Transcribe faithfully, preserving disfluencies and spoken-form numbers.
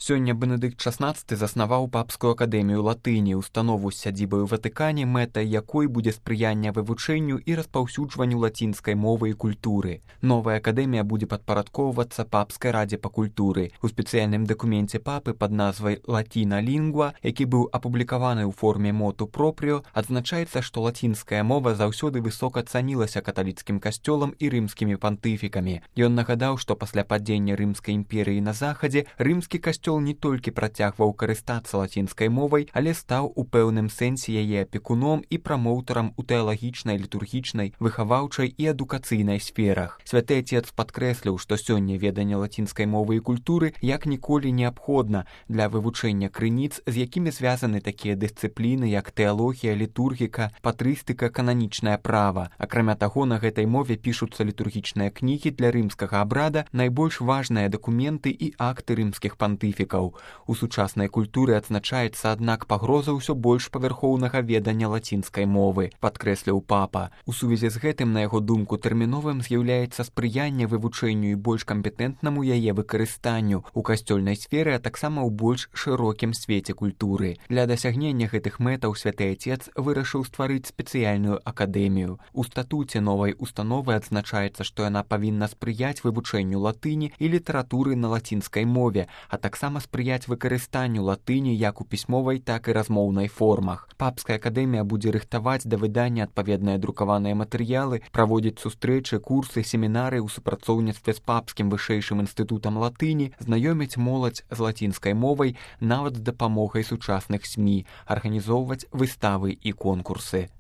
Сёння Бенедыкт шаснаццаты заснаваў папскую акадэмію латыні, установу з сядзібай у Ватыкане, мэтай якой будзе спрыянне вывучэнню і распаўсюджванню лацінскай мовы і культуры. Новая акадэмія будзе падпарадкоўвацца папскай радзе па культуры. У спецыяльным дакуменце папы пад назвай «Латина лінгва», які быў апублікаваны ў форме моту пропрыо, адзначаецца, што лацінская мова заўсёды высока цанілася каталіцкім касцёлам і рымскімі пантыфікамі. Ён нагадаў, што пасля падзення Рымскай імперыі на захадзе рымскі касцёл не толькі працягваў карыстацца лацінскай мовай, але стаў у пэўным сэнсе яе апекуном і прамоўтарам у тэалагічнай, літургічнай, выхаваўчай і адукацыйнай сферах. Святы Отец падкрэсліў, што сёння веданне лацінскай мовы і культуры як ніколі неабходна для вывучэння крыніц, з якімі звязаны такія дысцыпліны, як тэалогія, літургіка, патрыстыка, кананічнае права. Акрамя таго, на гэтай мове пішуцца літургічныя кнігі для рымскага абрада, найбольш важныя дакументы і акты рымскіх пантыфікаў. У сучаснай культуры адзначаецца, аднак, пагроза ўсё больш павярхоўнага ведання лацінскай мовы, падкрэсліў папа. У сувязі з гэтым, на яго думку, тэрміновым з'яўляецца спрыянне вывучэнню і больш кампетэнтнаму яе выкарыстанню ў касцёльнай сферы, а таксама ў больш шырокім свеце культуры. Для дасягнення гэтых мэтаў Святы Отец вырашыў стварыць спецыяльную акадэмію. У статуце новай установы адзначаецца, што яна павінна спрыяць вывучэнню латыні і літаратуры на лацінскай мове, а таксама спрыяць выкарыстанню латыні як у пісьмовай, так і размоўнай формах. Папская акадэмія будзе рыхтаваць да выдання адпаведныя друкаваныя матэрыялы, праводзіць сустрэчы, курсы, семінары ў супрацоўніцтве з папскім вышэйшым інстытутам латыні, знаёміць моладзь з лацінскай мовай нават з дапамогай сучасных СМІ, арганізоўваць выставы і конкурсы.